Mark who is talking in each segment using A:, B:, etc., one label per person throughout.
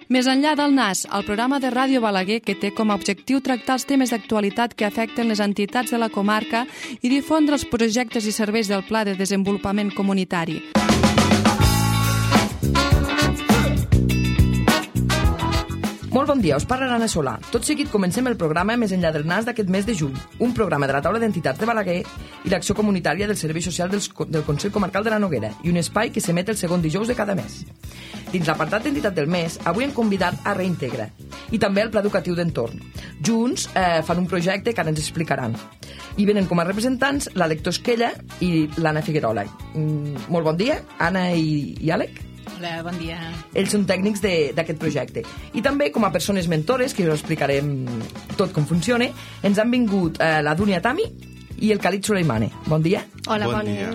A: Més enllà del NAS, el programa de Ràdio Balaguer que té com a objectiu tractar els temes d'actualitat que afecten les entitats de la comarca i difondre els projectes i serveis del Pla de Desenvolupament Comunitari.
B: Molt bon dia, us parla l'Anna Solà. Tot seguit comencem el programa Més enllà del NAS d'aquest mes de juny, un programa de la taula d'entitats de Balaguer i l'acció comunitària del Servei Social del Consell Comarcal de la Noguera i un espai que s'emet el segon dijous de cada mes. Dins l'apartat d'entitat del mes, avui hem convidat a Reintegra i també el Pla Educatiu d'Entorn. Junts fan un projecte que ara ens explicaran. I venen com a representants l'Àlec Tosquella i l'Anna Figuerola. Molt bon dia, Anna i Àlec.
C: Hola, bon dia.
B: Ells són tècnics d'aquest projecte. I també, com a persones mentores, que us explicarem tot com funciona, ens han vingut la Dúnia Tami i el Khalid Suleimane. Bon dia.
D: Hola, bon dia.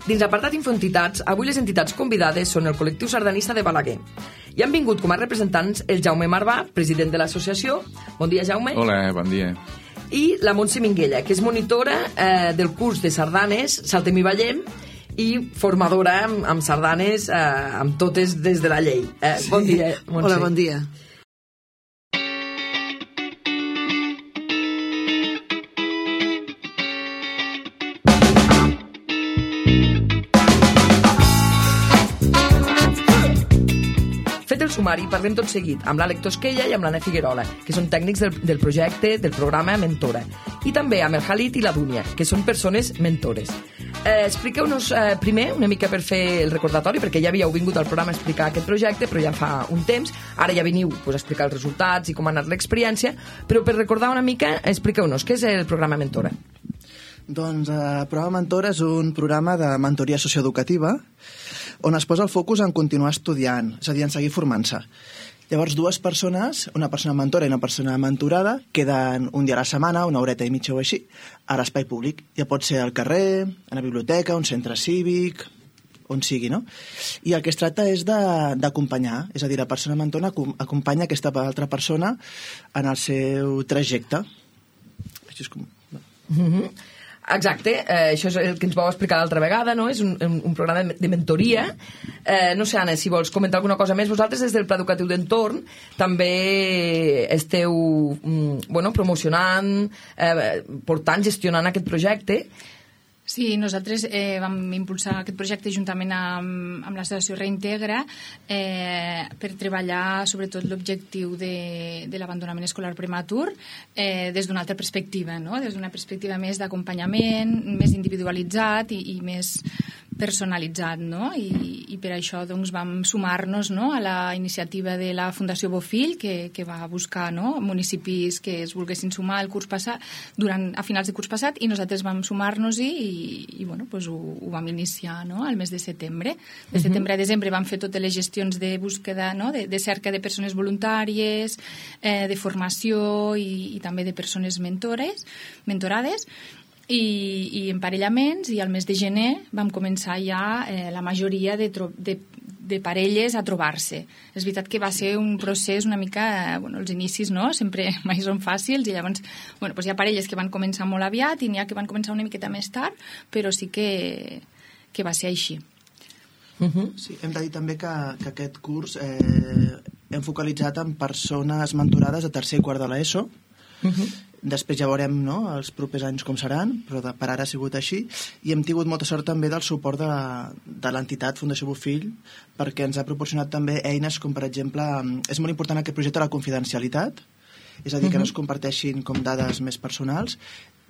B: Dins l'apartat Infoentitats, avui les entitats convidades són el col·lectiu sardanista de Balaguer. I han vingut com a representants el Jaume Marvà, president de l'associació. Bon dia, Jaume.
D: Hola, bon dia.
B: I la Montse Minguella, que és monitora del curs de sardanes Saltem i Ballem, i formadora amb sardanes amb totes des de la llei. Sí. Bon dia, Montse.
E: Hola, bon dia.
B: Fet el sumari, parlem tot seguit amb l'Àlec Tosquella i amb l'Anna Figuerola, que són tècnics del projecte, del programa Mentora, i també amb el Khalid i la Dúnia, que són persones mentores. Expliqueu-nos primer una mica per fer el recordatori, perquè ja havíeu vingut al programa a explicar aquest projecte, però ja fa un temps. Ara ja veniu a explicar els resultats i com ha anat l'experiència, però per recordar una mica, expliqueu-nos què és el programa Mentora.
E: Doncs el programa Mentora és un programa de mentoria socioeducativa on es posa el focus en continuar estudiant, és a dir, en seguir formant-se. Llavors, dues persones, una persona mentora i una persona mentorada, queden un dia a la setmana, una horeta i mitja o així, a l'espai públic. Ja pot ser al carrer, a la biblioteca, un centre cívic, on sigui, no? I el que es tracta és d'acompanyar, és a dir, la persona mentora acompanya aquesta altra persona en el seu trajecte. Això és com...
B: Exacte, això és el que ens vau explicar l'altra vegada, no? És un programa de mentoria. No sé, Anna, si vols comentar alguna cosa més. Vosaltres, des del Pla Educatiu d'Entorn, també esteu promocionant, portant, gestionant aquest projecte.
C: Sí, nosaltres vam impulsar aquest projecte juntament amb l'associació Reintegra per treballar sobretot l'objectiu de l'abandonament escolar prematur des d'una altra perspectiva, no? Des d'una perspectiva més d'acompanyament, més individualitzat i més personalitzat, no? I per això doncs, vam sumar-nos, no, a la iniciativa de la Fundació Bofill, que va buscar, no, municipis que es volguessin sumar al curs passat, a finals de curs passat, i nosaltres vam sumar-nos-hi i bueno, pues ho vam iniciar, no, al mes de setembre. De setembre a desembre vam fer totes les gestions de búsqueda, no, de cerca de persones voluntàries, de formació i també de persones mentorades, i emparellaments, i al mes de gener vam començar ja la majoria de parelles a trobar-se. És veritat que va ser un procés una mica, els inicis, no? Sempre mai són fàcils, i llavors hi ha parelles que van començar molt aviat i n'hi ha que van començar una miqueta més tard, però sí que va ser així.
E: Sí, hem de dir també que aquest curs hem focalitzat en persones mentorades a tercer i quart de l'ESO. Després ja veurem, no, els propers anys com seran, però per ara ha sigut així, i hem tingut molta sort també del suport de l'entitat Fundació Bofill, perquè ens ha proporcionat també eines com, per exemple, és molt important aquest projecte la confidencialitat, és a dir, que no es comparteixin com dades més personals,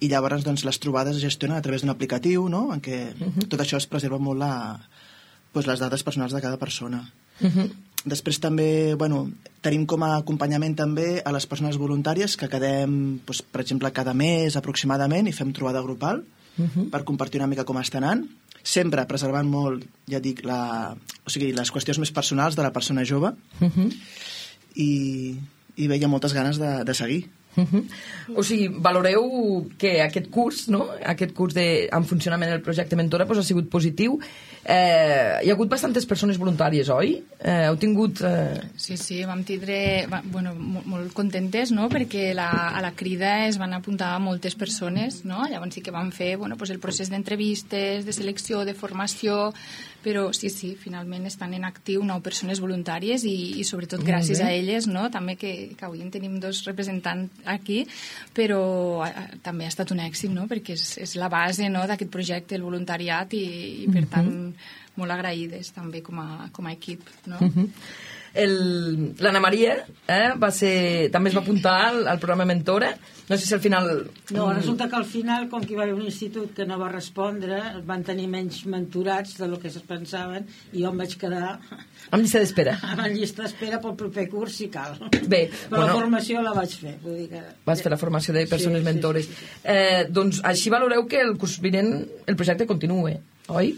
E: i llavors doncs, les trobades es gestionen a través d'un aplicatiu, no?, en què tot això es preserva molt les dades personals de cada persona. Després també, tenim com a acompanyament també a les persones voluntàries que quedem, per exemple, cada mes aproximadament i fem trobada grupal per compartir una mica com està anant, sempre preservant molt, ja dic, les qüestions més personals de la persona jove, i veia moltes ganes de seguir.
B: O sigui, valoreu que aquest curs, no? Aquest curs en funcionament del projecte Mentora ha sigut positiu. Hi ha hagut bastantes persones voluntàries, oi? Heu tingut...
C: Sí, vam tindre molt contentes, no? Perquè a la crida es van apuntar moltes persones, no? Llavors sí que vam fer el procés d'entrevistes, de selecció, de formació, però sí, finalment estan en actiu 9 persones voluntàries i sobretot gràcies a elles, no? També que avui en tenim 2 representants aquí, però també ha estat un èxit, no? Perquè és la base, no, d'aquest projecte, el voluntariat, i per tant molt agraïdes també com a equip, no?
B: L'Anna Maria també es va apuntar al programa Mentora. No sé si al final...
D: No, resulta que al final, com que hi va haver un institut que no va respondre, van tenir menys mentorats del que es pensaven, i jo em vaig quedar...
B: Amb llista d'espera.
D: Amb llista d'espera pel proper curs, si cal.
B: Bé,
D: però la formació la vaig fer. Vull dir que...
B: Vas fer la formació de persones mentores. Doncs així valoreu que el curs vinent el projecte continue, oi?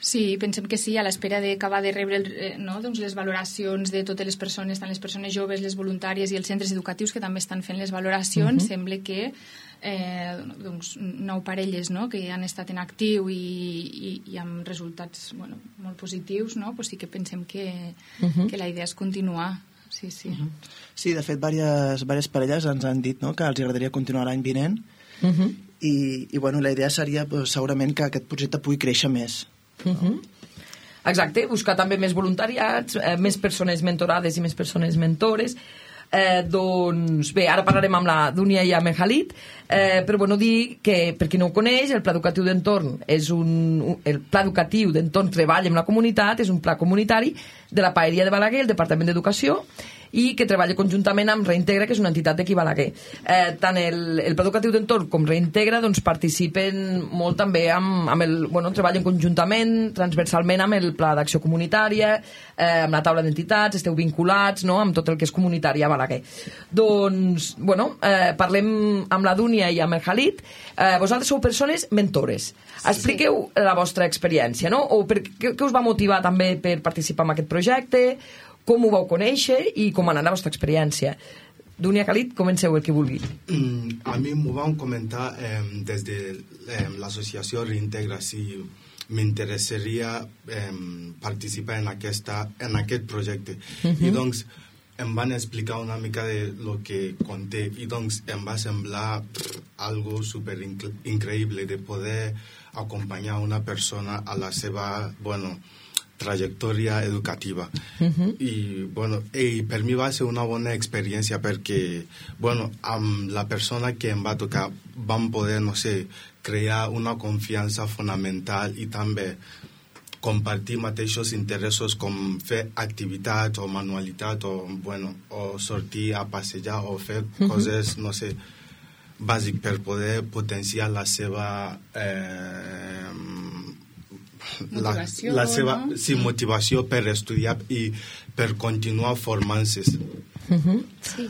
C: Sí, pensem que sí, a l'espera d'acabar de rebre les valoracions de totes les persones, tant les persones joves, les voluntàries i els centres educatius que també estan fent les valoracions. Sembla que 9 parelles, no?, que han estat en actiu i amb resultats molt positius, no? Pues sí que pensem que la idea és continuar. Sí.
E: Sí, de fet, diverses parelles ens han dit, no?, que els agradaria continuar l'any vinent i la idea seria segurament que aquest projecte pugui créixer més.
B: Exacte, buscar també més voluntariats, més persones mentorades i més persones mentores. Doncs bé, ara parlarem amb la Dúnia i amb en Khalid, però dir que, per qui no ho coneix, el Pla Educatiu d'Entorn el Pla Educatiu d'Entorn Treballa amb la Comunitat, és un pla comunitari de la Paeria de Balaguer, el Departament d'Educació, i que treballa conjuntament amb Reintegra, que és una entitat d'aquí Balaguer. Tant el Pla Educatiu d'Entorn com Reintegra participen molt també treballen conjuntament, transversalment amb el Pla d'Acció Comunitària, amb la taula d'entitats, esteu vinculats, no?, amb tot el que és comunitari a Balaguer. Doncs, parlem amb la Dúnia i amb el Khalid. Vosaltres sou persones mentores. Expliqueu la vostra experiència, no? O què us va motivar també per participar en aquest projecte? Com ho vau conèixer i com ha anat la vostra experiència? Dúnia, Khalid, comenceu el que vulgui.
F: A mi m'ho van comentar des de l'associació Reintegra si m'interessaria participar en aquest projecte. I doncs em van explicar una mica de lo que conté i doncs em va semblar algo super increïble de poder acompanyar una persona a la seva, trajectòria educativa. I per mi va ser una bona experiència perquè amb la persona que em va tocar vam poder, crear una confiança fonamental i també compartir mateixos interessos com fer activitats o manualitat o sortir a passejar o fer coses, bàsic per poder potenciar la seva
C: motivació,
F: la seva motivació per estudiar i per continuar formant-se.
G: Sí.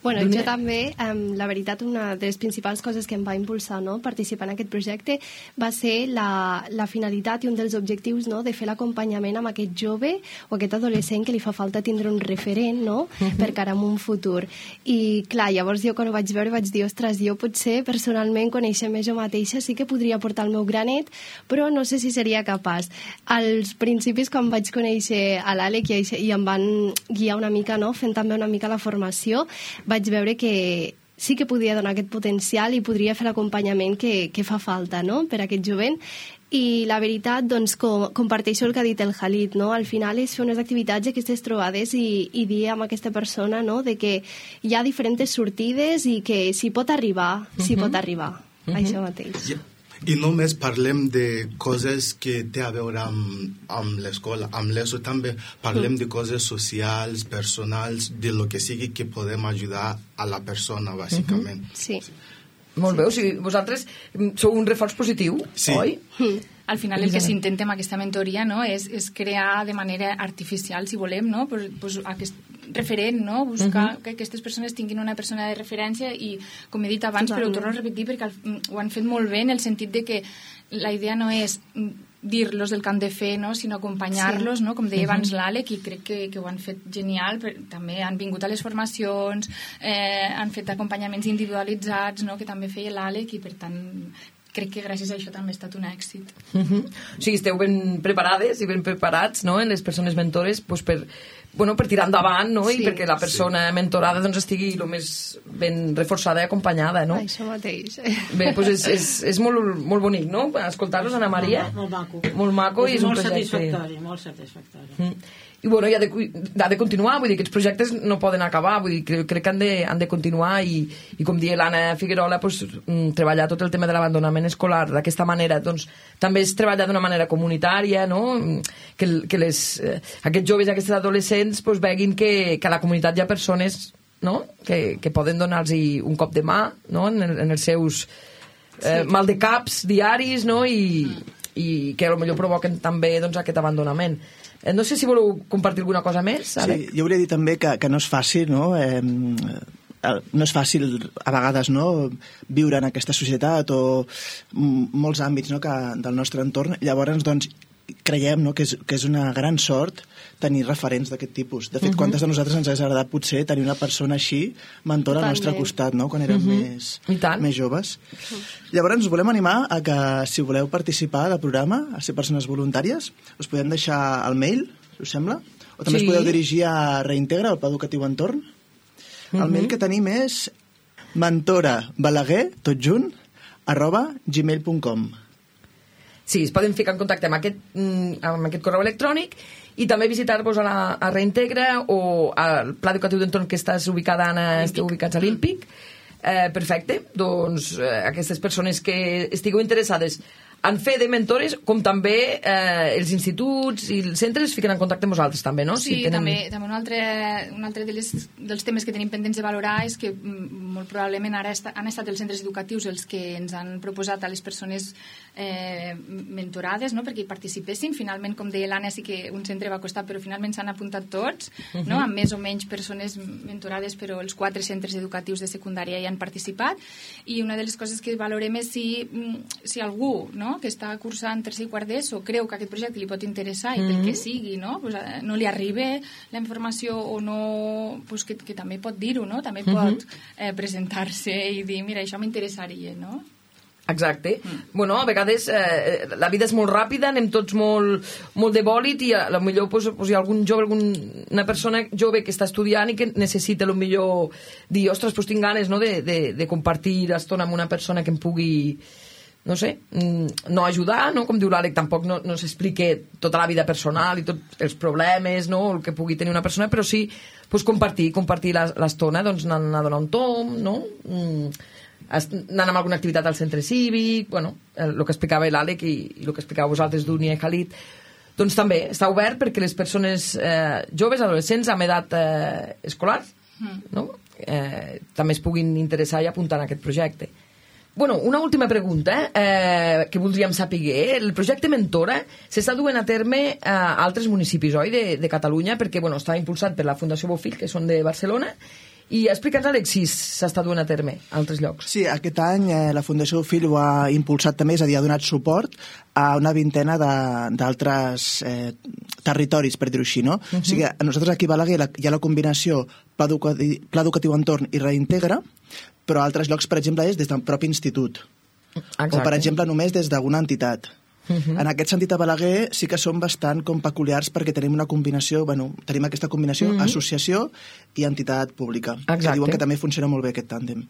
G: Jo també, la veritat, una de les principals coses que em va impulsar participar en aquest projecte va ser la finalitat i un dels objectius de fer l'acompanyament amb aquest jove o aquest adolescent que li fa falta tindre un referent per cara a un futur. I clar, llavors jo quan ho vaig veure vaig dir, ostres, jo potser personalment coneixent-me jo mateixa sí que podria portar el meu granet, però no sé si seria capaç. Als principis, quan vaig conèixer a l'Àlex i em van guiar una mica, fent també una mica la formació, vaig veure que sí que podia donar aquest potencial i podria fer l'acompanyament que fa falta per a aquest jovent. I la veritat, doncs, comparteixo el que ha dit el Khalid, al final és fer unes activitats, aquestes trobades i dir amb aquesta persona de que hi ha diferents sortides i que s'hi pot arribar, això mateix.
F: I només parlem de coses que té a veure amb l'escola, amb l'ESO també parlem de coses socials, personals, de lo que sigui que podem ajudar a la persona, bàsicament.
G: Sí.
B: Molt bé, o sigui, vosaltres sou un reforç positiu, oi?
C: Al final el que s'intenta amb aquesta mentoria és crear de manera artificial, si volem, pues aquest referent, buscar que aquestes persones tinguin una persona de referència i, com he dit abans, però ho torno a repetir perquè ho han fet molt bé en el sentit de que la idea no és dir-los el que han de fer, sinó acompanyar-los, com deia abans l'Àlex, i crec que ho han fet genial. També han vingut a les formacions, han fet acompanyaments individualitzats, que també feia l'Àlex, i per tant crec que gràcies a això també ha estat un èxit.
B: O sigui, esteu ben preparades i ben preparats, no?, en les persones mentores, doncs per tirar endavant, no?, i perquè la persona mentorada doncs estigui el més ben reforçada i acompanyada, no?
G: Això mateix.
B: Bé, doncs és molt bonic, no?, escoltar-los, Ana Maria.
D: Molt maco.
B: Molt maco i és un projecte...
D: Molt satisfactori.
B: I bueno, ha de continuar, vull dir, aquests projectes no poden acabar, vull dir, crec que han de continuar i com deia l'Anna Figuerola, treballar tot el tema de l'abandonament escolar d'aquesta manera, doncs també és treballar d'una manera comunitària, no?, que aquests joves i aquests adolescents veguin que a la comunitat hi ha persones, no?, que poden donar-los un cop de mà, no?, en els seus mal de caps diaris, no?, i que potser provoquen també doncs aquest abandonament. No sé si voleu compartir alguna cosa més, Alec?
E: Sí, jo volia dir també que no és fàcil, no?, no és fàcil a vegades, no?, viure en aquesta societat o molts àmbits, no?, del nostre entorn. Llavors, doncs, creiem, no?, que és una gran sort tenir referents d'aquest tipus. De fet, quantes de nosaltres ens hauria agradat potser tenir una persona així, mentora al nostre costat, no?, quan érem més joves. Llavors, us volem animar a que, si voleu participar del programa, a ser persones voluntàries, us podem deixar el mail, us sembla? O també us podeu dirigir a Reintegra, al Pla Educatiu Entorn. El mail que tenim és mentorabalaguer, tot junt, @gmail.com.
B: Sí, es poden ficar en contacte amb aquest correu electrònic i també visitar-vos a Reintegra o al Pla Educatiu d'Entorn, que estàs ubicada, Anna, esteu ubicats a l'Ímpic. Perfecte, doncs aquestes persones que estigueu interessades en fer de mentores, com també els instituts i els centres es fiquen en contacte amb vosaltres també, no?
C: Sí, també un altre dels temes que tenim pendents de valorar és que molt probablement ara han estat els centres educatius els que ens han proposat a les persones mentorades, no?, perquè hi participessin. Finalment, com deia l'Anna, sí que un centre va costar, però finalment s'han apuntat tots, no?, amb més o menys persones mentorades, però els 4 centres educatius de secundària hi han participat. I una de les coses que valorem és si algú, no?, que està cursant tercer i quart d'ESO creu que aquest projecte li pot interessar i pel que sigui, no?, no li arriba la informació o no, que també pot dir-ho, no?, també pot presentar-se i dir, mira, això m'interessaria, no?
B: Exacte. Bueno, a vegades la vida és molt ràpida, anem tots molt de bòlit i potser hi ha algun jove, una persona jove que està estudiant i que necessita potser dir, ostres, tinc ganes, no?, de compartir l'estona amb una persona que em pugui, no sé, no ajudar, no?, com diu l'Àlec, tampoc no s'explica tota la vida personal i tots els problemes, no?, el que pugui tenir una persona, però sí compartir l'estona, doncs anant a donar un tom, no?, anant amb alguna activitat al centre cívic, bueno, el que explicava l'Àlec i el que explicava vosaltres, Dúnia i Khalid, doncs també està obert perquè les persones joves, adolescents amb edat escolar, no?, també es puguin interessar i apuntar en aquest projecte. Bueno, una última pregunta que voldríem saber. El projecte Mentora s'està duent a terme a altres municipis, oi, de Catalunya, perquè està impulsat per la Fundació Bofill, que són de Barcelona, i explica'ns, Àlex, si s'està duent a terme a altres llocs.
E: Sí, aquest any la Fundació Bofill ho ha impulsat també, és a dir, ha donat suport a una vintena d'altres territoris, per dir-ho així, no? O sigui, nosaltres aquí a Balaguer hi ha la combinació Pla Educatiu Entorn i Reintegra, però a altres llocs, per exemple, és des del propi institut. Exacte. O, per exemple, només des d'alguna entitat. En aquest sentit, a Balaguer sí que som bastant com peculiars perquè tenim una combinació, tenim aquesta combinació associació i entitat pública. Exacte. Que diuen que també funciona molt bé aquest tàndem.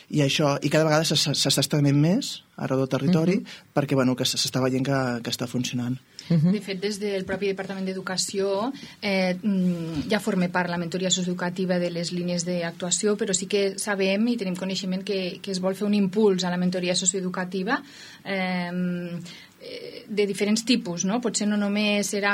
E: I cada vegada s'està estenent més arreu del territori perquè que s'està veient que està funcionant.
C: De fet, des del propi Departament d'Educació ja forma part la mentoria socioeducativa de les línies d'actuació, però sí que sabem i tenim coneixement que es vol fer un impuls a la mentoria socioeducativa de diferents tipus, no? Potser no només serà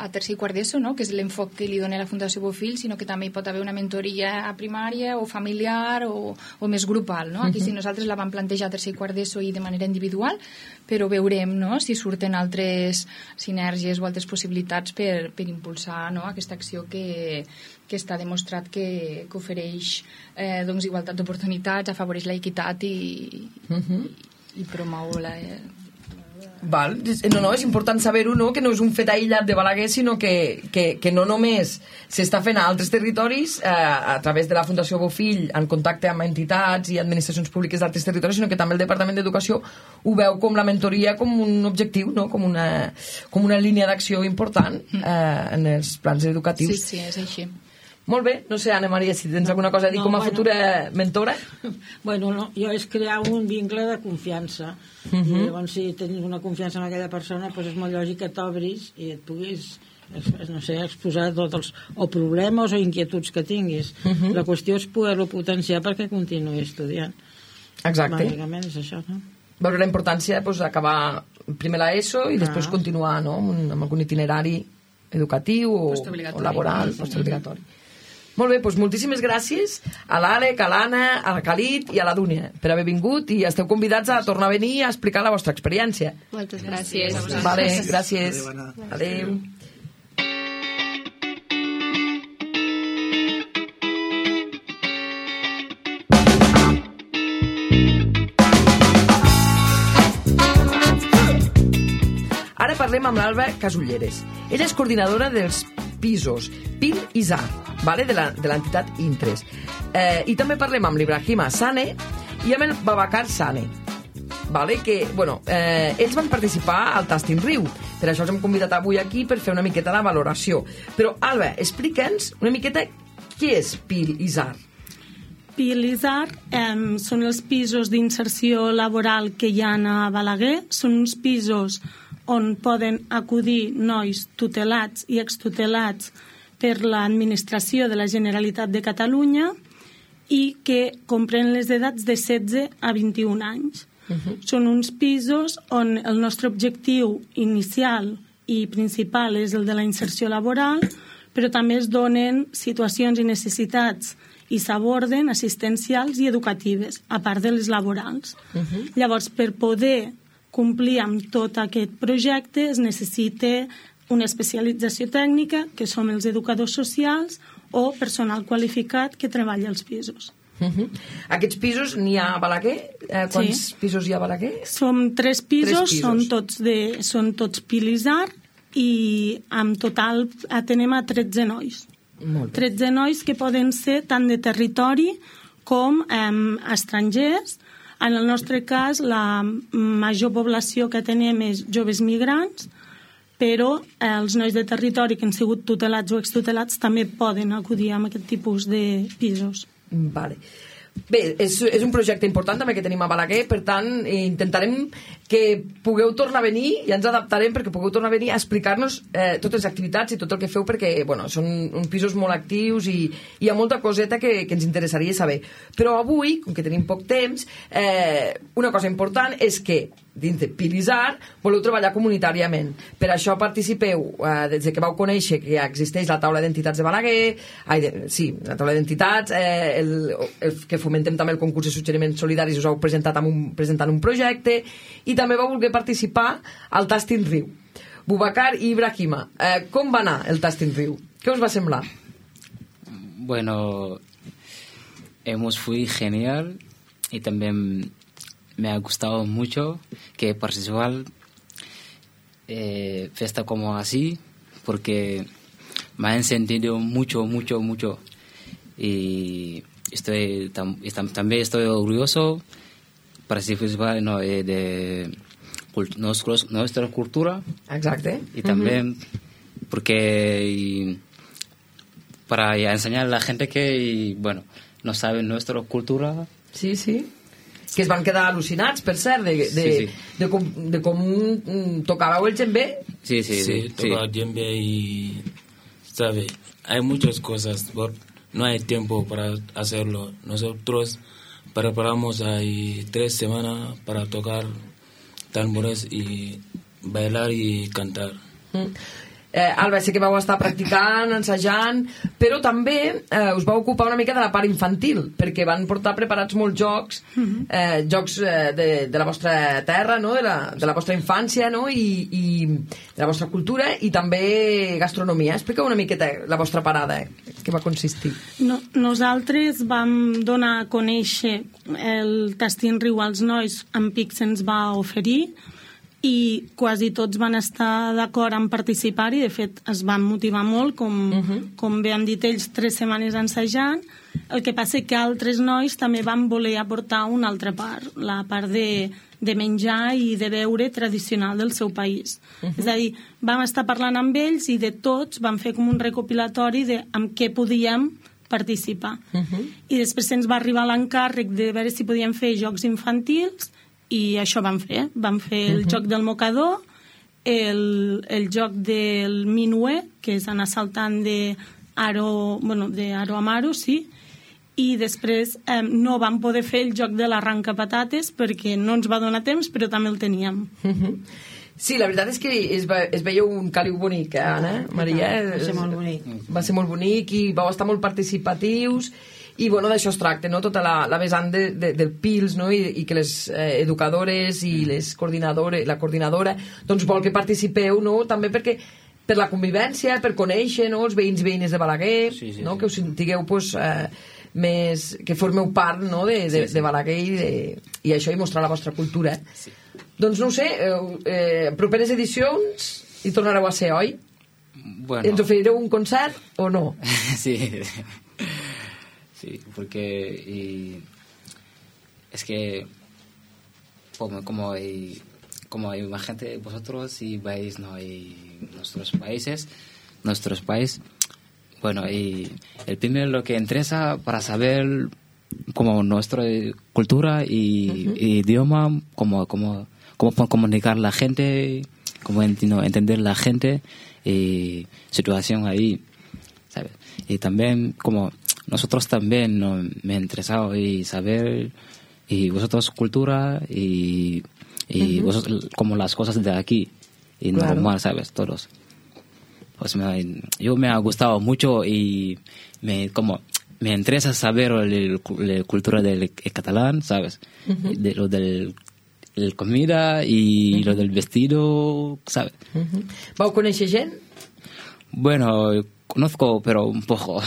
C: a tercer i quart d'ESO, no?, que és l'enfoc que li dona la Fundació Bofill, sinó que també hi pot haver una mentoria a primària o familiar o més grupal, no? Aquí sí, nosaltres la vam plantejar a tercer i quart d'ESO i de manera individual, però veurem, no?, si surten altres sinergies o altres possibilitats per impulsar, no?, aquesta acció que està demostrat que ofereix doncs, igualtat d'oportunitats, afavoreix l'equitat i promou la
B: Val. No, és important saber-ho, no? Que no és un fet aïllat de Balaguer, sinó que no només s'està fent a altres territoris a través de la Fundació Bofill en contacte amb entitats i administracions públiques d'altres territoris, sinó que també el Departament d'Educació ho veu com la mentoria com un objectiu, no? Com una línia d'acció important en els plans educatius.
C: Sí, és així.
B: Molt bé, no sé, Anna Maria, si tens alguna cosa a dir com a futura mentora.
D: Bueno, no, jo és crear un vincle de confiança. I llavors, si tens una confiança en aquella persona, doncs és molt lògic que t'obris i et puguis, no sé, exposar tots els o problemes o inquietuds que tinguis. La qüestió és poder-lo potenciar perquè continuï estudiant.
B: Exacte.
D: Bàsicament és això, no?
B: Veure la importància d'acabar primer l'ESO i després continuar, no?, amb algun itinerari educatiu o laboral, postobligatori. Molt bé, doncs moltíssimes gràcies a l'Àlec, a l'Anna, a la Khalid i a la Dúnia per haver vingut i esteu convidats a tornar a venir a explicar la vostra experiència.
G: Moltes gràcies.
B: Vale, gràcies. Adéu. Ara parlem amb l'Alba Casulleres. Ella és coordinadora dels pisos PIL i ZAR, vale? de l'entitat Intres. I també parlem amb l'Ibrahima Sane i amb el Babacar Sane, vale? Que, bueno, ells van participar al Tasting Riu, per això els hem convidat avui aquí per fer una miqueta la valoració. Però, Alba, explica'ns una miqueta què és PIL i ZAR.
H: PIL i ZAR són els pisos d'inserció laboral que hi ha a Balaguer. Són uns pisos on poden acudir nois tutelats i extutelats per l'administració de la Generalitat de Catalunya i que comprenen les edats de 16 a 21 anys. Són uns pisos on el nostre objectiu inicial i principal és el de la inserció laboral, però també es donen situacions i necessitats i s'aborden assistencials i educatives, a part de les laborals. Llavors, per poder complir amb tot aquest projecte es necessita una especialització tècnica, que som els educadors socials o personal qualificat que treballa als pisos.
B: Aquests pisos n'hi ha a Balaguer? Quants pisos hi ha a Balaguer?
H: Som 3 pisos, són tots PIL i ZAR i en total atenem a 13 nois. 13 nois que poden ser tant de territori com estrangers. En el nostre cas, la major població que tenem és joves migrants, però els nois de territori que han sigut tutelats o extutelats també poden acudir a aquest tipus de pisos.
B: Vale. Bé, és un projecte important també que tenim a Balaguer, per tant intentarem que pugueu tornar a venir i ens adaptarem perquè pugueu tornar a venir a explicar-nos totes les activitats i tot el que feu, perquè bueno, són uns pisos molt actius i hi ha molta coseta que ens interessaria saber. Però avui, com que tenim poc temps, una cosa important és que dins de PIL i ZAR voleu treballar comunitàriament. Per això participeu, des que vau conèixer que existeix la taula d'entitats de Balaguer, la taula d'entitats, que fomentem també el concurs de suggeriments solidaris, us heu presentant un projecte, i també vau voler participar al Tasting Riu. Boubacar i Ibrahima, com va anar el Tasting Riu? Què us va semblar?
I: Bueno, fue genial y también me ha gustado mucho que participar fiesta como así, porque me han sentido mucho y también estoy orgulloso participar de nuestra cultura.
B: Exacto.
I: Y también porque para enseñar a la gente que no sabe nuestra cultura.
B: Sí, sí. Que es van quedar al·lucinats, per cert, de com tocàveu el djembe.
J: Sí, tocaba djembe y, ¿sabe? Hay muchas cosas, no hay tiempo para hacerlo. Nosotros preparamos ahí 3 semanas para tocar tambores y bailar y cantar.
B: Alba, sé que vau estar practicant, ensajant, però també us vau ocupar una mica de la part infantil, perquè van portar preparats molts jocs, jocs de la vostra terra, no? de la vostra infància, no? I de la vostra cultura, i també gastronomia. Expliqueu una miqueta la vostra parada, què va consistir.
H: Nosaltres vam donar a conèixer el Tasting Riu als nois, en Pic se'ns va oferir, i quasi tots van estar d'acord en participar-hi, de fet es van motivar molt, com bé han dit ells, 3 setmanes ensajant. El que passa que altres nois també van voler aportar una altra part, la part de menjar i de beure tradicional del seu país. És a dir, vam estar parlant amb ells i de tots vam fer com un recopilatori de amb què podíem participar. I després se'ns va arribar l'encàrrec de veure si podíem fer jocs infantils i això vam fer. Vam fer el joc del mocador, el joc del minué, que és anar saltant d'aro a maro, sí, i després no vam poder fer el joc de l'arrenca-patates perquè no ens va donar temps, però també el teníem.
B: Sí, la veritat és que es veia un caliu bonic, Anna, Maria?
D: Va ser molt bonic.
B: Va ser molt bonic i vau estar molt participatius i bueno, d'això es tracta, no? Tota la vessant del PILS, no? I que les educadores i les coordinadores, la coordinadora doncs vol que participeu, no? També perquè per la convivència, per conèixer, no? Els veïns i veïnes de Balaguer, no? Que us sentigueu pues, més, que formeu part, no? de Balaguer i això, i mostrar la vostra cultura. Doncs no ho sé, properes edicions hi tornareu a ser, oi?
I: Bueno.
B: ¿Ens oferireu un concert o no?
I: Sí. Sí, porque es que como hay más gente vosotros si vais no y nuestros países bueno, y el primero lo que interesa para saber como nuestra cultura y idioma, cómo comunicar la gente, cómo entender la gente y situación ahí, ¿sabes? Y también como nosotros también me ha interesado y saber y vosotros cultura y vosotros como las cosas de aquí y
B: claro.
I: Normal, ¿sabes? Todos. Pues yo me ha gustado mucho y me interesa saber la cultura del catalán, ¿sabes? De lo del comida y lo del vestido, ¿sabes?
B: ¿Vau conèixer gent?
I: Bueno, conozco, pero un poco,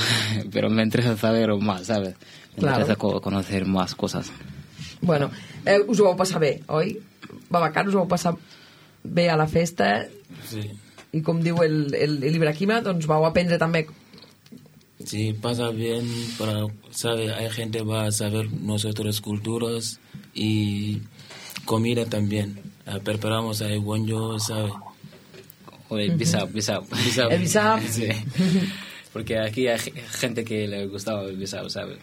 I: pero me interesa saber más, ¿sabes? Me interesa conocer más cosas.
B: Bueno, us ho vau passar bé, oi? Babacar, us ho vau passar bé a la festa?
J: Sí.
B: I com diu el Ibrahima, doncs vau aprendre també.
J: Sí, pasa bien, ¿sabe? Hay gente que va a saber nuestras culturas y comida también. Preparamos ahí bonjo, ¿sabe?
I: O el bisab.
B: El bisab.
I: Sí. Porque aquí hay gente que le gustaba el bisab, ¿sabes?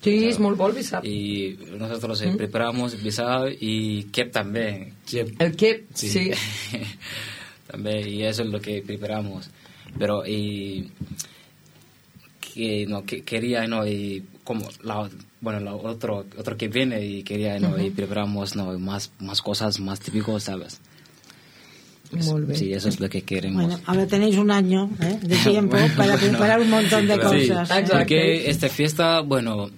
B: Sí, és molt bo el bisab.
I: Y nosotros preparamos bisab y keb también.
B: El keb, sí.
I: También, y eso es lo que preparamos. Pero quería, ¿no? Y como otro que viene y quería, ¿no? Y preparamos, ¿no? Más cosas más típicas, ¿sabes?
B: Molt bé.
I: Sí, eso es lo que queremos.
D: Bueno, ahora tenéis un año de tiempo para preparar un montón de cosas.
I: Sí, porque esta fiesta, bueno,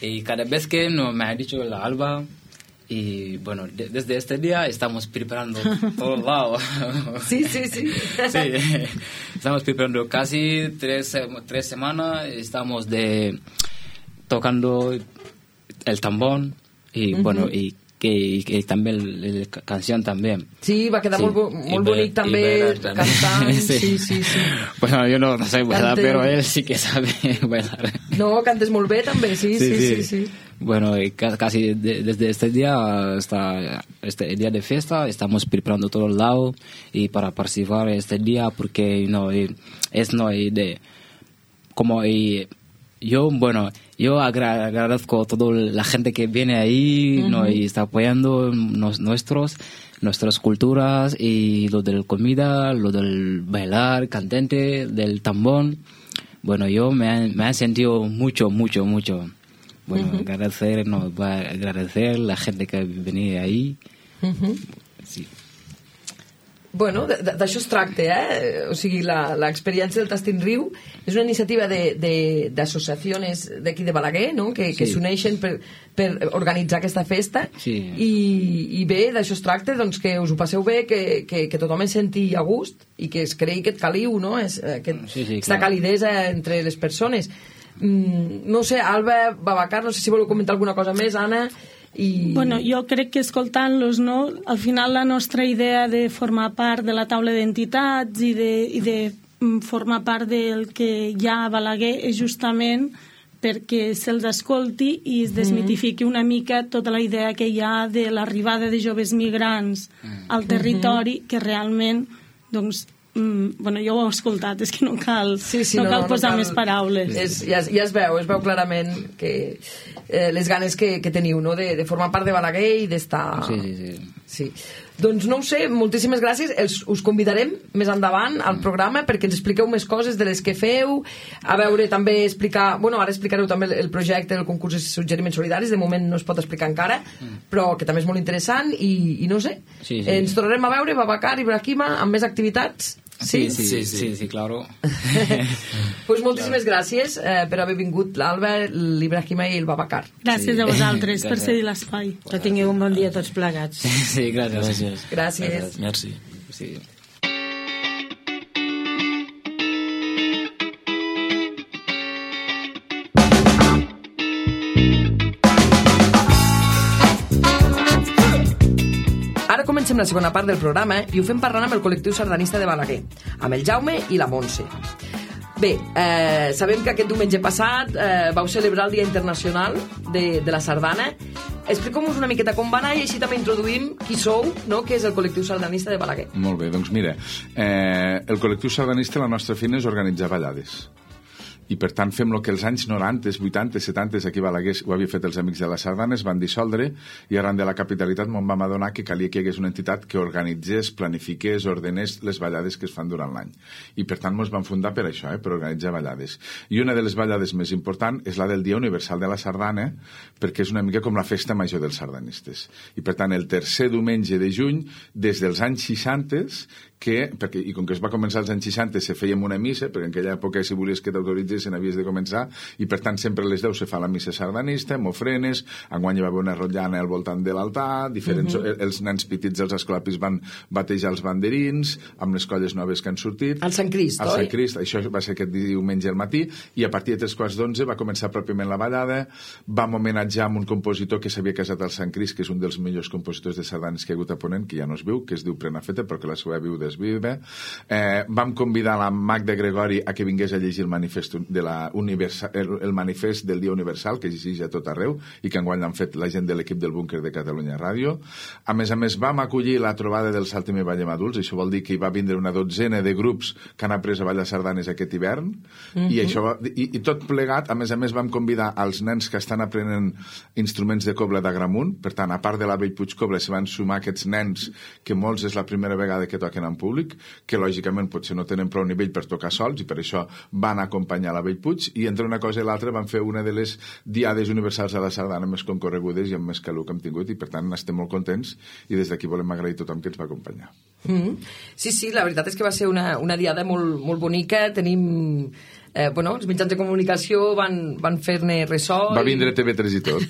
I: y cada vez que me ha dicho la Alba, y bueno, desde este día estamos preparando todo lado.
B: Sí.
I: Sí, estamos preparando casi 3 semanas, estamos tocando el tambor y bueno, y que también la canción también.
B: Sí, va quedar molt bonic també cantant. Sí.
I: Bueno, yo no sé bailar, pero él sí que sabe bailar.
B: No, cantes molt bé també, sí.
I: Bueno, casi desde este día hasta este día de fiesta estamos preparando todo el lado y para participar este día porque yo agradezco a toda la gente que viene ahí, ¿no? Y está apoyando nuestras culturas y lo de la comida, lo del bailar, cantante, del tambor. Bueno, yo me ha sentido mucho. Bueno, agradecer a la gente que venía ahí. Sí.
B: Bueno, d'això es tracta, O sigui, l'experiència del Tastin Riu és una iniciativa d'associacions d'aquí de Balaguer, no? Que s'uneixen per organitzar aquesta festa.
I: Sí.
B: I bé, d'això es tracta, doncs que us ho passeu bé, que tothom es senti a gust i que es creï aquest caliu, no? Aquesta calidesa entre les persones. No sé, Alba, Babacar, no sé si voleu comentar alguna cosa més, Anna.
H: Bueno, jo crec que escoltant-los, no? Al final la nostra idea de formar part de la taula d'entitats i de formar part del que hi ha a Balaguer és justament perquè se'ls escolti i es desmitifiqui una mica tota la idea que hi ha de l'arribada de joves migrants al territori, que realment, doncs, bueno, jo ho he escoltat, és que no cal posar més paraules.
B: Ja es veu clarament que les ganes que teniu, no?, de formar part de Balaguer i d'estar... Sí. Doncs no ho sé, moltíssimes gràcies. Us convidarem més endavant al programa perquè ens expliqueu més coses de les que feu, a veure també explicar... Bueno, ara explicareu també el projecte del concurs de suggeriments solidaris, de moment no es pot explicar encara, però que també és molt interessant i no sé, ens tornarem a veure, Babacar i Ibrahima, amb més activitats.
I: Sí, claro.
B: Pues moltíssimes gràcies per haver vingut l'Alba, l'Ibrahima i el Babacar.
H: Gràcies a vosaltres per cedir l'espai.
D: Que tingueu un bon dia tots plegats.
I: Sí, gràcies.
B: Gràcies.
J: Merci.
I: Sí.
B: Ara comencem la segona part del programa i ho fem parlant amb el col·lectiu sardanista de Balaguer, amb el Jaume i la Montse. Bé, sabem que aquest diumenge passat vau celebrar el Dia Internacional de la Sardana. Expliqueu-nos una miqueta com va anar i així també introduïm qui sou, no?, que és el col·lectiu sardanista de Balaguer.
K: Molt bé, doncs mira, el col·lectiu sardanista, la nostra feina és organitzar ballades. I per tant fem el que els anys 90, 80, 70 aquí a Balaguer ho havia fet els Amics de la Sardana, es van dissoldre i arran de la capitalitat m'en vam adonar que calia que hi hagués una entitat que organitzés, planifiqués, ordenés les ballades que es fan durant l'any. I per tant ens vam fundar per això, per organitzar ballades. I una de les ballades més importants és la del Dia Universal de la Sardana, perquè és una mica com la festa major dels sardanistes. I per tant el tercer diumenge de juny, des dels anys 60, i com que es va començar als anys 60 se fèiem una missa, perquè en aquella època si volies que t'autoritzessin havies de començar, i per tant sempre a les 10 se fa la missa sardanista, amb ofrenes, enguany hi va haver una rotllana al voltant de l'altar, els nens petits dels escolapis van batejar els banderins, amb les colles noves que han sortit.
B: Al Sant Crist, oi?
K: Al Sant Crist, això va ser aquest diumenge al matí, i a partir de 3:15 va començar pròpiament la ballada, vam homenatjar amb un compositor que s'havia casat al Sant Crist, que és un dels millors compositors de sardanes que hi ha hagut a Ponent, que ja no es viu, que es diu Prenafeta, però que la seva viuda es vive. Vam convidar la Magda Gregori a que vingués a llegir el manifest el manifest del Dia Universal, que llegeix a tot arreu i que enguany l'han fet la gent de l'equip del Búnquer de Catalunya Ràdio. A més, vam acollir la trobada del Saltem i Ballem Adults, això vol dir que hi va vindre una dotzena de grups que han après a ballar sardanes aquest hivern, i tot plegat, a més, vam convidar els nens que estan aprenent instruments de cobla d'Agramunt, per tant, a part de la Bellpuig Cobla, se van sumar aquests nens que molts és la primera vegada que toquen en públic, que lògicament potser no tenen prou nivell per tocar sols i per això van acompanyar la Bellpuig, i entre una cosa i l'altra van fer una de les diades universals de la sardana més concorregudes i amb més calor que hem tingut, i per tant estem molt contents i des d'aquí volem agrair a tothom que ens va acompanyar.
B: Sí, la veritat és que va ser una diada molt, molt bonica. Tenim... els mitjans de comunicació van fer-ne ressò.
K: Va vindre TV3 i tot.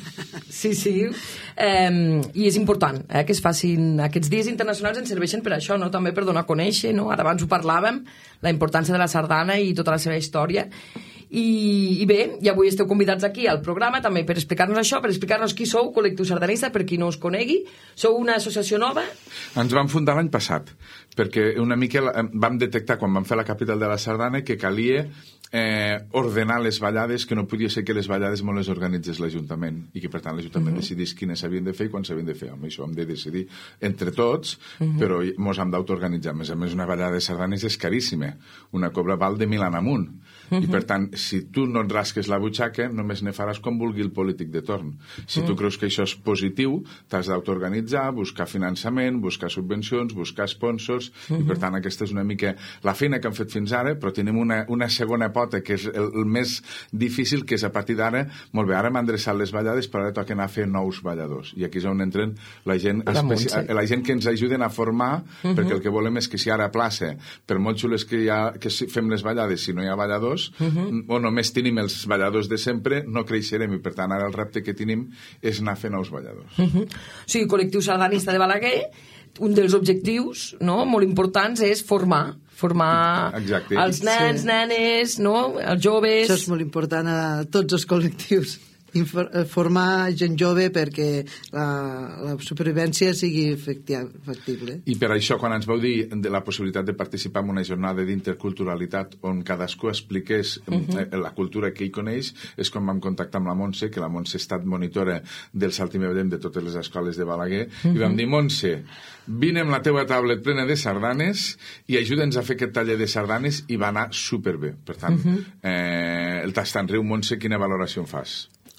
B: Sí. I és important que es facin aquests dies internacionals, ens serveixen per això, no? També per donar a conèixer, no? Ara abans ho parlàvem, la importància de la sardana i tota la seva història. I bé, i avui esteu convidats aquí al programa també per explicar-nos això, per explicar-nos qui sou, Col·lectiu Sardanista, per qui no us conegui. Sou una associació nova?
K: Ens vam fundar l'any passat, perquè una mica vam detectar, quan vam fer la capital de la sardana, que calia ordenar les ballades, que no podia ser que les ballades me les organitzés l'Ajuntament i que per tant l'Ajuntament decidís quines s'havien de fer i quan s'havien de fer. Amb això hem de decidir entre tots, però mos hem d'autoorganitzar. A més, una ballada de sardanes és caríssima, una cobra val de 1.000 en amunt, i per tant, si tu no et rasques la butxaca, només ne faràs com vulgui el polític de torn. Si tu creus que això és positiu, t'has d'autoorganitzar, buscar finançament, buscar subvencions, buscar sponsors, i per tant aquesta és una mica la feina que hem fet fins ara, però tenim una segona pota que és el més difícil, que és a partir d'ara, molt bé, ara m'han endreçat les ballades, però ara toca anar a fer nous balladors, i aquí és on entren la gent que ens ajuden a formar, perquè el que volem és que si ara a plaça, per molt xules que fem les ballades, si no hi ha balladors, o només tenim els balladors de sempre, no creixerem, i per tant ara el repte que tenim és anar a fer nous balladors.
B: Sí, Col·lectiu Sardanista de Balaguer, un dels objectius molt importants és formar els nens, nenes, els joves...
L: Això és molt important a tots els col·lectius. formar gent jove perquè la supervivència sigui factible.
K: I per això, quan ens vau dir de la possibilitat de participar en una jornada d'interculturalitat on cadascú expliqués la cultura que hi coneix, és quan vam contactar amb la Montse, que la Montse ha estat monitora del Saltem i Veiem de totes les escoles de Balaguer, i vam dir, Montse, vine amb la teua tablet plena de sardanes i ajuda'ns a fer aquest taller de sardanes, i va anar superbé. Per tant, el Tast en Riu, Montse, quina valoració en fas?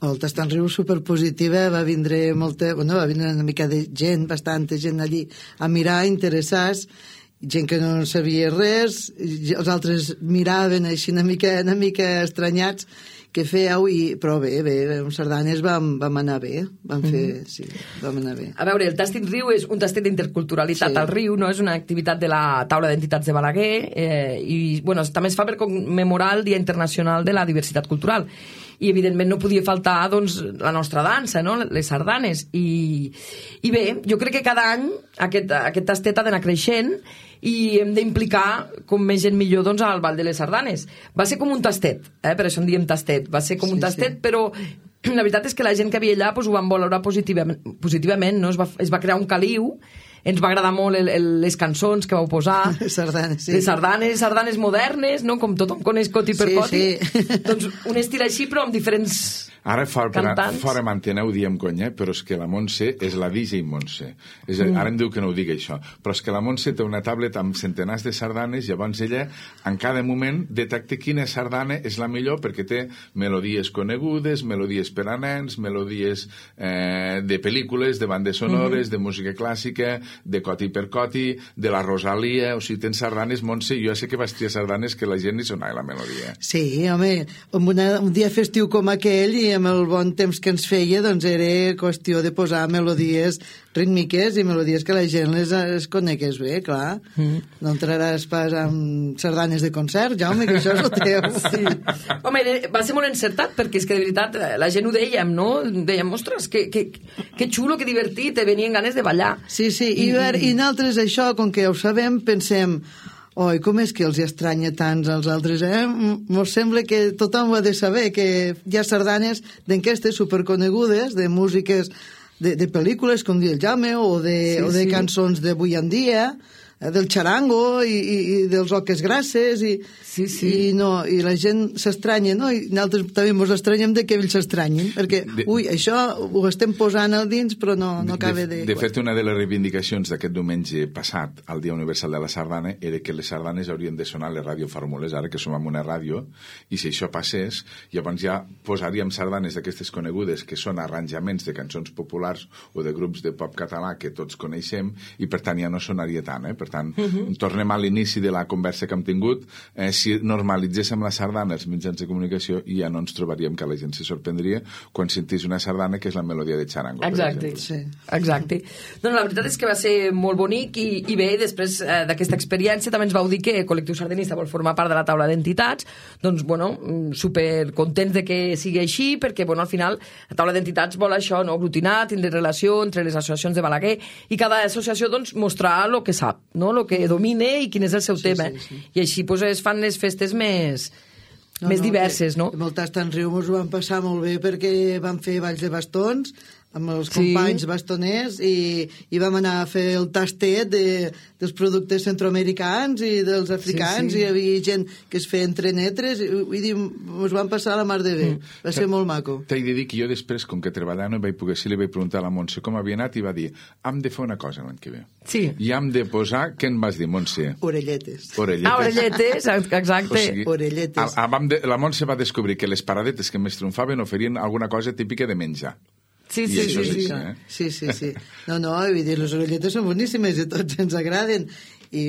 L: El Tast en Riu superpositiva, va vindre una mica de gent, bastanta gent allí a mirar, interessats, gent que no sabia res, els altres miraven així una mica estranyats què fèieu, però bé, amb sardanes vam anar bé, vam anar bé.
B: A veure, el Tast en Riu és un tastet d'interculturalitat al riu, no? És una activitat de la taula d'entitats de Balaguer, i bueno, també es fa per commemorar el Dia Internacional de la Diversitat Cultural, i evidentment no podia faltar doncs, la nostra dansa, no? Les sardanes, i bé, jo crec que cada any aquest tastet ha d'anar creixent i hem d'implicar com més gent millor doncs, al Ball de les Sardanes. Va ser com un tastet, per això en diem tastet, va ser com un tastet, però la veritat és que la gent que havia allà ho van valorar positivament, no? Es va crear un caliu, ens va agradar molt les cançons que vau posar,
L: sardanes,
B: les sardanes modernes, no? Com tothom coneix Coti per Coti, doncs un estil així però amb diferents
K: ara
B: cantants.
K: Fora mantena ho diem conya, però és que la Montse és la DJ Montse. Ara em diu que no ho digui això, però és que la Montse té una tablet amb centenars de sardanes, llavors ella en cada moment detecta quina sardana és la millor perquè té melodies conegudes, melodies per a nens, melodies de pel·lícules, de bandes sonores, de música clàssica, de Coti per Coti, de la Rosalia, o sigui, tens sardanes, Montse, jo ja sé que vestia sardanes que la gent ni sonava la melodia.
L: Sí, home, un dia festiu com aquell i amb el bon temps que ens feia, doncs era qüestió de posar melodies rítmiques i melodies que la gent les conegués bé, clar. No entraràs pas amb sardanes de concert, Jaume, que això és el teu.
B: Sí. Home, va ser molt encertat, perquè és que de veritat la gent ho dèiem, no? Dèiem, ostres, que xulo, que divertit, venien ganes de ballar.
L: Sí, i nosaltres això, com que ho sabem, pensem, oi, com és que els estranya tants als altres, Mos sembla que tothom ho ha de saber, que hi ha sardanes d'enquestes superconegudes, de músiques, de pel·lícules, com diu el Jaume, o de cançons d'avui en dia, del xarango i dels oques grasses i la gent s'estranya, no? I nosaltres també ens estranyem de que ells s'estranyin, perquè això ho estem posant al dins però no acaba de...
K: De fet, una de les reivindicacions d'aquest diumenge passat al Dia Universal de la Sardana era que les sardanes haurien de sonar a les radiofórmules, ara que som en una ràdio, i si això passés, llavors ja posaríem sardanes d'aquestes conegudes que són arranjaments de cançons populars o de grups de pop català que tots coneixem, i per tant ja no sonaria tant, Per tant, tornem a l'inici de la conversa que hem tingut. Si normalitzéssim la sardana als mitjans de comunicació, ja no ens trobaríem que la gent se sorprendria quan sentís una sardana que és la melodia de xarango.
B: Exacte. Doncs la veritat és que va ser molt bonic i bé, després d'aquesta experiència també ens vau dir que el col·lectiu sardanista vol formar part de la taula d'entitats. Doncs, bueno, super contents de que sigui així, perquè, bueno, al final la taula d'entitats vol això, no? Aglutinar, tindre relació entre les associacions de Balaguer i cada associació, doncs, mostrar el que sap, no? El que domine i quin és el seu tema. I així pues, es fan les festes més diverses, no?
L: Amb el Tast en Riu ens ho vam passar molt bé perquè vam fer balls de bastons amb els companys bastoners i vam anar a fer el tastet dels productes centroamericans i dels africans i hi havia gent que es feien trenetres i ens vam passar la mar de bé. Va ser molt maco.
K: T'he de dir que jo després, com que treballant no vaig poder ser, li vaig preguntar a la Montse com havia anat i va dir, hem de fer una cosa l'any que ve.
B: Sí.
K: I hem de posar, què en vas dir, Montse?
L: Orelletes.
B: Orelletes, exacte.
K: O sigui,
L: orelletes.
K: La Montse va descobrir que les paradetes que més triomfaven oferien alguna cosa típica de menjar.
L: Sí. No, vull dir, les orelletes són boníssimes i tots ens agraden i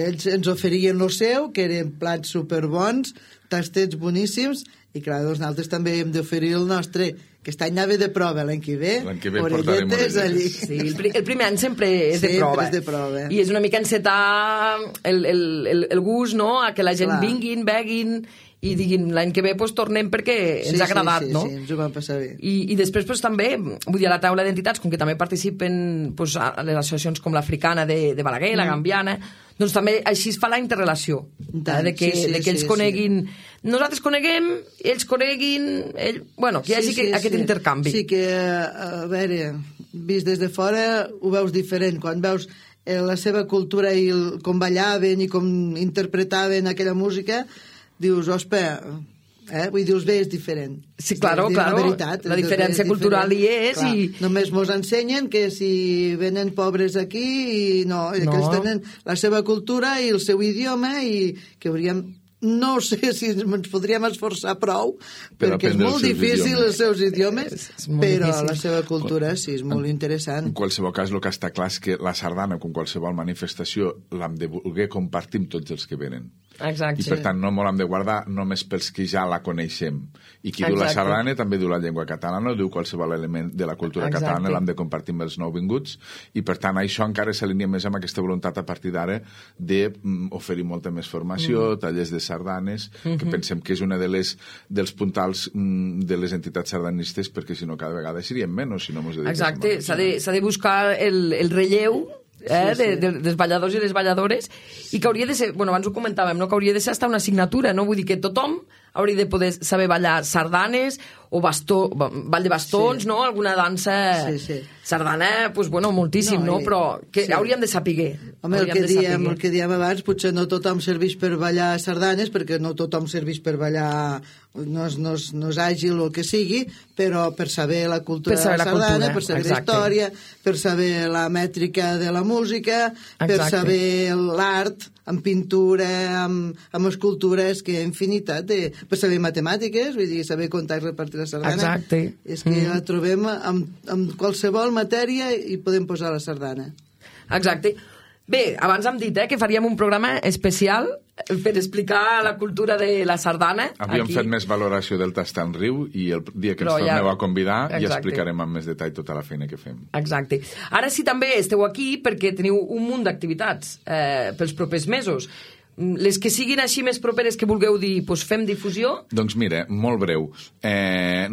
L: ells ens oferien el seu, que eren plats superbons, tastets boníssims i clar, doncs nosaltres també hem d'oferir el nostre, que aquest any anava de prova, l'any que ve orelletes allí. Sí,
B: el primer any sempre és de prova.
L: És de prova.
B: I és una mica encetar el gust, no?, a que la gent vinguin, beguin i diguin l'any que ve tornem perquè ens ha agradat, no?
L: Sí, ens ho vam passar bé.
B: I després també, vull dir, a la taula d'entitats, com que també participen a les associacions com l'Africana de Balaguer, la Gambiana, doncs també així es fa la interrelació, de que ells coneguin, nosaltres coneguem, ells coneguin, bueno, que hi hagi aquest intercanvi.
L: Sí, que, a veure, vist des de fora ho veus diferent, quan veus la seva cultura i com ballaven i com interpretaven aquella música, dius, ospa, vull dir, bé, és diferent.
B: Sí, claro, la diferència cultural hi és.
L: Només mos ensenyen que si venen pobres aquí, no, que ells tenen la seva cultura i el seu idioma i que hauríem... No sé si ens podríem esforçar prou, perquè és molt difícil els seus idiomes, però la seva cultura sí, és molt interessant.
K: En qualsevol cas, el que està clar és que la sardana, com qualsevol manifestació, l'hem de voler compartir amb tots els que venen.
B: Exacte.
K: I per tant no l'hem de guardar només pels que ja la coneixem. I qui diu la sardana també diu la llengua catalana, diu qualsevol element de la cultura catalana, l'hem de compartir amb els nouvinguts, i per tant això encara s'alinea més amb aquesta voluntat a partir d'ara d'oferir molta més formació, tallers de sardanes, que pensem que és una dels puntals de les entitats sardanistes, perquè si no cada vegada seríem menys si no mos dediquéssim.
B: Exacte, s'ha de buscar el relleu dels balladors i les balladores, i que hauria de ser, bueno, abans ho comentàvem, no? Que hauria de ser hasta una assignatura, no? Vull dir que tothom hauria de poder saber ballar sardanes o ball de bastons, no? Alguna dansa sardana, doncs, bueno, moltíssim, no? Però que hauríem de saber.
L: Home, el que diem abans, potser no tothom serveix per ballar sardanes, perquè no tothom serveix per ballar, no és àgil o el que sigui, però per saber la cultura de la sardana, per saber la història, per saber la mètrica de la música, per saber l'art, amb pintura, amb escultures, que hi ha infinitat per saber matemàtiques, vull dir, saber comptar i repartir la sardana.
B: Exacte.
L: És que la trobem amb qualsevol matèria i podem posar la sardana.
B: Exacte. Bé, abans hem dit que faríem un programa especial per explicar la cultura de la sardana.
K: Havíem fet més valoració del Tastar en Riu, i el dia que ens torneu a convidar ja explicarem amb més detall tota la feina que fem.
B: Exacte. Ara sí, també esteu aquí perquè teniu un munt d'activitats pels propers mesos. Les que siguin així més properes que vulgueu dir, doncs fem difusió?
K: Doncs mira, molt breu.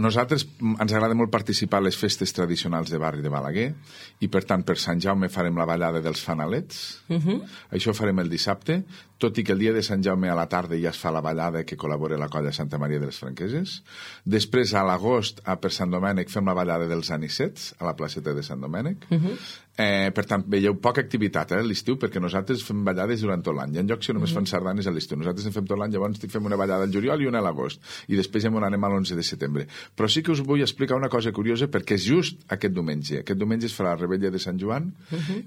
K: Nosaltres ens agrada molt participar a les festes tradicionals de barri de Balaguer, i per tant per Sant Jaume farem la ballada dels fanalets. Això ho farem el dissabte, tot i que el dia de Sant Jaume a la tarda ja es fa la ballada que col·labora la colla Santa Maria de les Franqueses. Després, a l'agost, per Sant Domènec, fem la ballada dels anicets a la placeta de Sant Domènec. Per tant, veieu poca activitat a l'estiu, perquè nosaltres fem ballades durant tot l'any. Hi ha llocs que només fan sardanes a l'estiu. Nosaltres en fem tot l'any, llavors fem una ballada al juliol i una a l'agost. I després ja anem a l'11 de setembre. Però sí que us vull explicar una cosa curiosa, perquè és just aquest diumenge. Aquest diumenge es farà la Rebella de Sant Joan,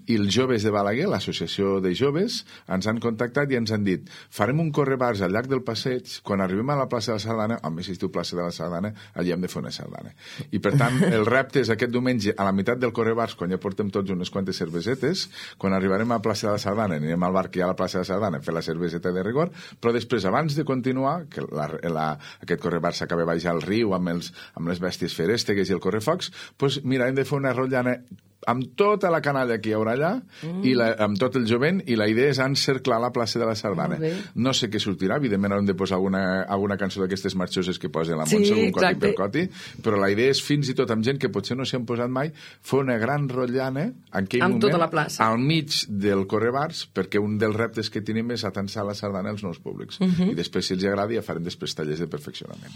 K: i els joves de Balaguer, l'associació de joves, ens han contactat i ens han dit, farem un correbars al llarg del passeig, quan arribem a la plaça de la Sardana, home, si es diu plaça de la Sardana, allà hem de fer una sardana. I per tant, el repte és aquest diumenge, a la meitat del correbars, quan ja portem tots unes quantes cervesetes, quan arribarem a la plaça de la Sardana, anirem al bar que hi ha a la plaça de la Sardana a fer la cerveseta de rigor, però després, abans de continuar, que aquest correbars s'acaba baixar al riu amb les bèsties feréstegues i el correfocs, doncs mira, hem de fer una rotllana amb tota la canalla que hi haurà allà, i amb tot el jovent, i la idea és encerclar la plaça de la Sardana. No sé què sortirà, evidentment haurem de posar alguna cançó d'aquestes marxoses que posa la Montse, un coti per coti, però la idea és, fins i tot amb gent que potser no s'hi han posat mai, fer una gran rotllana en aquell moment,
B: tota la plaça,
K: al mig del correbars, perquè un dels reptes que tenim és atensar la sardana als nous públics. I després, si els agrada, ja farem després tallers de perfeccionament.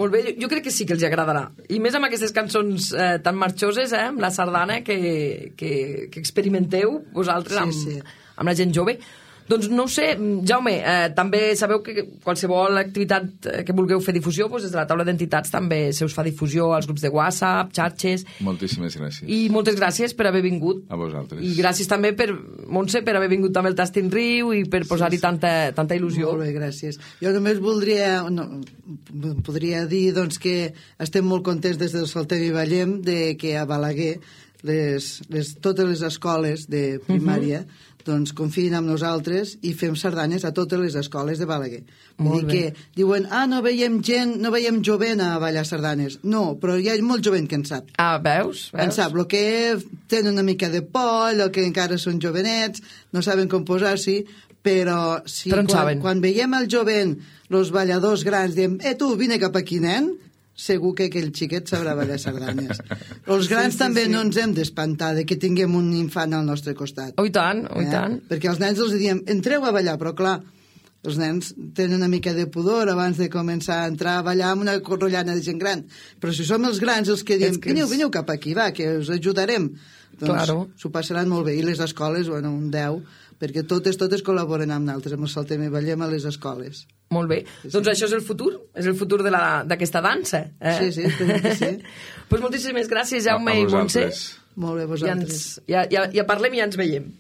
B: Molt bé, jo crec que sí que els agradarà. I més amb aquestes cançons tan marxoses, amb la sardana, que experimenteu vosaltres amb la gent jove. Doncs no ho sé, Jaume, també sabeu que qualsevol activitat que vulgueu fer difusió, des de la taula d'entitats també se us fa difusió als grups de WhatsApp, xarxes...
K: Moltíssimes gràcies.
B: I moltes gràcies per haver vingut.
K: A vosaltres.
B: I gràcies també per, Montse, per haver vingut també al Tastin Riu i per posar-hi tanta il·lusió.
L: Molt bé, gràcies. Jo només podria dir doncs, que estem molt contents des del Saltem i Ballem de que a Balaguer totes les escoles de primària doncs confien en nosaltres i fem sardanes a totes les escoles de Balaguer. Vull dir que diuen, no veiem jovent a ballar sardanes. No, però hi ha molt jovent que en sap.
B: Veus?
L: En sap, el que tenen una mica de por, el que encara són jovenets, no saben com posar-s'hi, però si quan veiem el jovent, els balladors grans, diem, tu, vine cap aquí, nen, segur que aquell xiquet sabrà ballar sardanes. Els grans també no ens hem d'espantar de que tinguem un infant al nostre costat.
B: Oh, i tant, oh, i tant.
L: Perquè els nens els diem, entreu a ballar, però clar, els nens tenen una mica de pudor abans de començar a entrar a ballar amb una corrollana de gent gran. Però si som els grans els que diem, veniu cap aquí, va, que us ajudarem, doncs s'ho passaran molt bé. I les escoles, bueno, un 10, perquè totes col·laboren amb nosaltres, amb el Saltem i Ballem a les escoles.
B: Molt bé. Doncs això és el futur d'aquesta dansa.
L: Sí, espero que sí.
B: Doncs moltíssimes gràcies, Jaume i Montse.
L: Molt bé, vosaltres.
B: Ja parlem i ja ens veiem.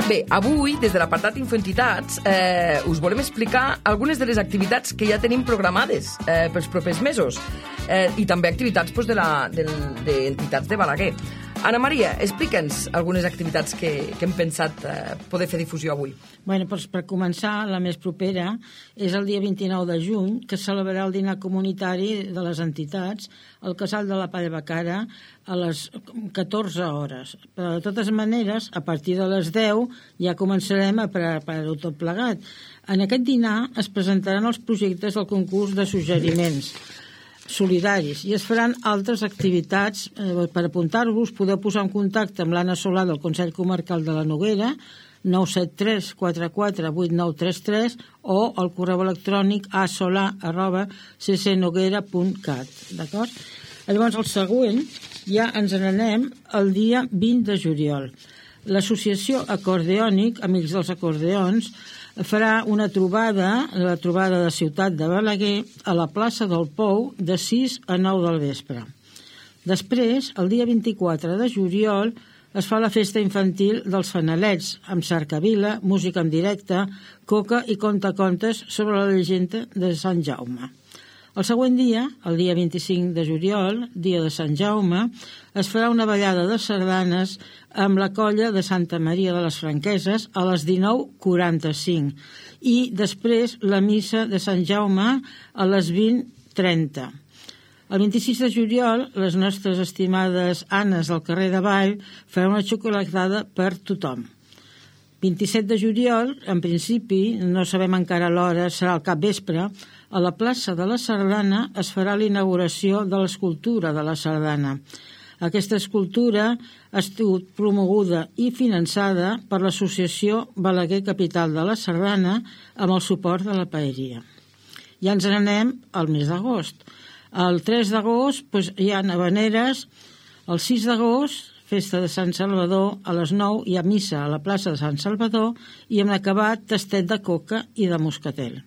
B: Bé, avui, des de l'apartat Infoentitats, us volem explicar algunes de les activitats que ja tenim programades pels propers mesos i també activitats d'entitats de Balaguer. Ana Maria, explica'ns algunes activitats que hem pensat poder fer difusió avui.
D: Bueno, doncs per començar, la més propera és el dia 29 de juny, que es celebrarà el dinar comunitari de les entitats al Casal de la Pallabacara a les 14 hores. Però, de totes maneres, a partir de les 10 ja començarem a preparar-ho tot plegat. En aquest dinar es presentaran els projectes del concurs de suggeriments solidaris i es faran altres activitats. Per apuntar-vos podeu posar en contacte amb l'Anna Solà del Consell Comarcal de la Noguera 973 44 8933 o al correu electrònic asolà@ccnoguera.cat. D'acord? Llavors el següent ja ens n'anem el dia 20 de juliol. L'associació Acordeònic, Amics dels Acordeons, farà una trobada, la trobada de Ciutat de Balaguer, a la plaça del Pou de 6 a 9 del vespre. Després, el dia 24 de juliol, es fa la festa infantil dels Fanalets, amb cercavila, música en directe, coca i contacontes sobre la llegenda de Sant Jaume. El següent dia, el dia 25 de juliol, dia de Sant Jaume, es farà una ballada de sardanes amb la colla de Santa Maria de les Franqueses a les 19:45 i després la missa de Sant Jaume a les 20:30. El 26 de juliol, les nostres estimades Annes del carrer de Vall faran una xocolatada per tothom. 27 de juliol, en principi, no sabem encara l'hora, serà al capvespre, a la plaça de la Sardana es farà la inauguració de l'escultura de la Sardana. Aquesta escultura ha estat promoguda i finançada per l'associació Balaguer Capital de la Sardana amb el suport de la paeria. Ja ens n'anem al mes d'agost. El 3 d'agost hi ha havaneres, el 6 d'agost festa de Sant Salvador, a les 9 hi ha missa a la plaça de Sant Salvador i hem acabat tastet de coca i de moscatel.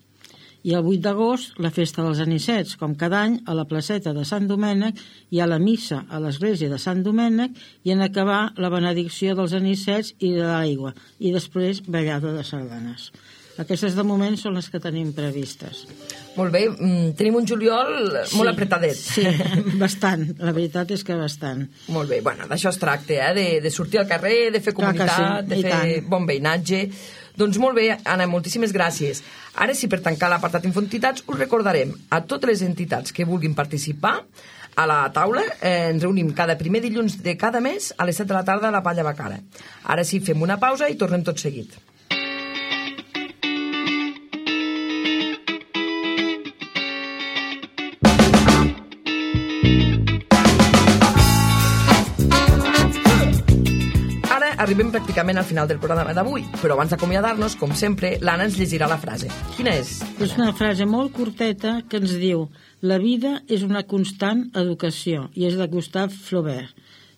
D: I el 8 d'agost, la festa dels anicets, com cada any, a la placeta de Sant Domènec hi ha la missa a l'església de Sant Domènec i en acabar la benedicció dels anicets i de l'aigua, i després ballada de sardanes. Aquestes de moment són les que tenim previstes.
B: Molt bé, tenim un juliol molt apretadet.
D: Sí, bastant, la veritat és que bastant.
B: Molt bé, bueno, d'això es tracta, de sortir al carrer, de fer comunitat, de fer bon veïnatge. Doncs molt bé, Anna, moltíssimes gràcies. Ara sí, per tancar l'apartat Infoentitats, us recordarem a totes les entitats que vulguin participar a la taula. Ens reunim cada primer dilluns de cada mes a les 7 de la tarda a la Pallabacara. Ara sí, fem una pausa i tornem tot seguit. Arribem pràcticament al final del programa d'avui, però abans d'acomiadar-nos, com sempre, l'Anna ens llegirà la frase. Quina és?
D: És una frase molt curteta que ens diu: la vida és una constant educació, i és de Gustave Flaubert.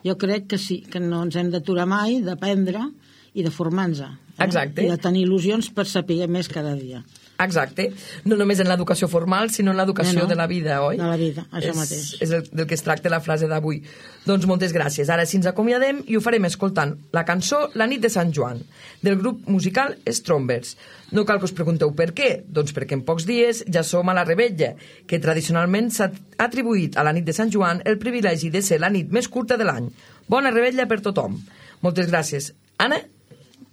D: Jo crec que sí, que no ens hem d'aturar mai d'aprendre i de formar-nos.
B: Exacte.
D: I de tenir il·lusions per saber més cada dia.
B: Exacte. No només en l'educació formal, sinó en l'educació de la vida, oi?
D: De la vida, això mateix.
B: És del que es tracta la frase d'avui. Doncs moltes gràcies. Ara sí ens acomiadem i ho farem escoltant la cançó La nit de Sant Joan, del grup musical Strombers. No cal que us pregunteu per què, doncs perquè en pocs dies ja som a la Revetlla, que tradicionalment s'ha atribuït a la nit de Sant Joan el privilegi de ser la nit més curta de l'any. Bona Revetlla per tothom. Moltes gràcies. Anna?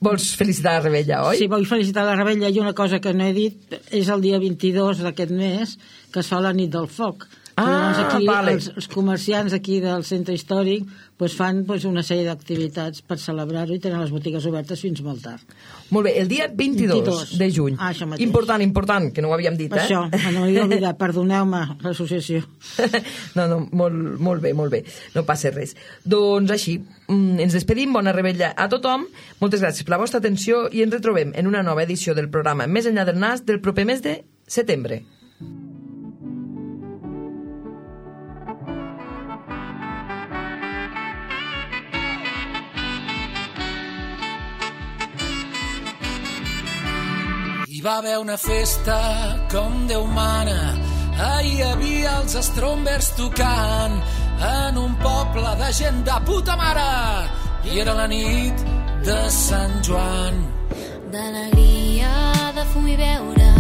B: vols felicitar la Rebella, oi?
D: Sí, vull felicitar la Rebella i una cosa que no he dit és el dia 22 d'aquest mes que es fa la nit del foc. Llavors aquí els comerciants aquí del centre històric fan una sèrie d'activitats per celebrar-ho i tenen les botigues obertes fins molt tard.
B: Molt bé, el dia 22 de juny. Important, que no ho havíem dit, eh?
D: Això, no m'havia oblidat, perdoneu-me, l'associació.
B: No, molt bé, no passa res. Doncs així, ens despedim, bona Rebella a tothom, moltes gràcies per la vostra atenció i ens retrobem en una nova edició del programa Més enllà del nas del proper mes de setembre.
M: Hi va haver una festa com Déu mana, ahir hi havia els Strombers tocant en un poble de gent de puta mare i era la nit de Sant Joan.
N: D'alegria, de fum i beure,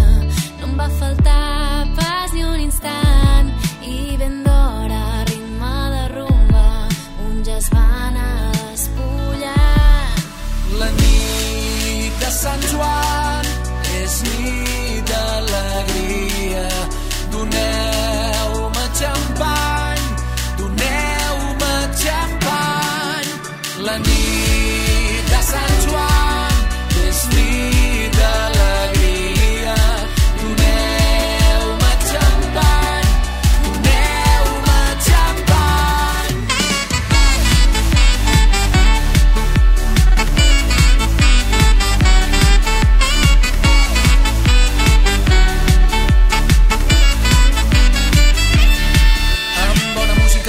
N: no em va faltar pas ni un instant i ben d'hora, ritme de rumba, uns ja es van a despullar.
M: La nit de Sant Joan és nit d'alegria, doneu-me xampany, doneu-me xampany. La nit de Sant Joan és nit d'alegria, doneu-me xampany, doneu-me xampany.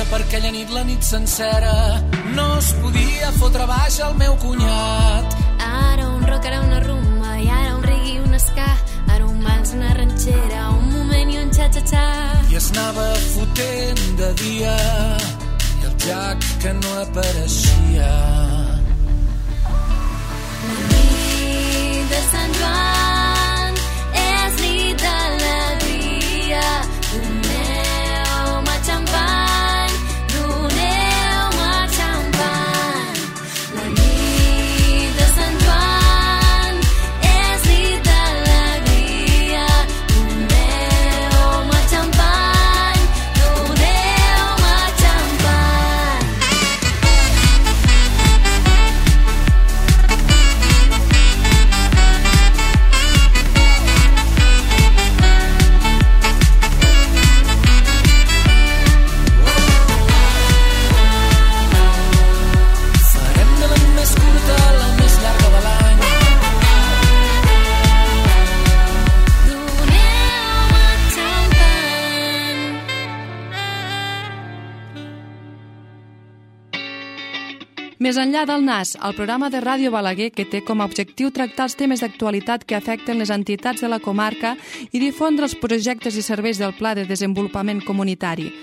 M: Per aquella nit, la nit sencera, no es podia fotre baix el meu cunyat.
N: Ara un rock, ara una rumba, i ara un reggae i un ska, ara un vals, una ranxera, un moment i un xa-xa-xa.
M: I es anava fotent de dia, i el Jack que no apareixia.
N: La nit de Sant Joan és nit d'alegria, doneu-me xampany.
A: Més enllà del nas, el programa de Ràdio Balaguer que té com a objectiu tractar els temes d'actualitat que afecten les entitats de la comarca i difondre els projectes i serveis del Pla de Desenvolupament Comunitari.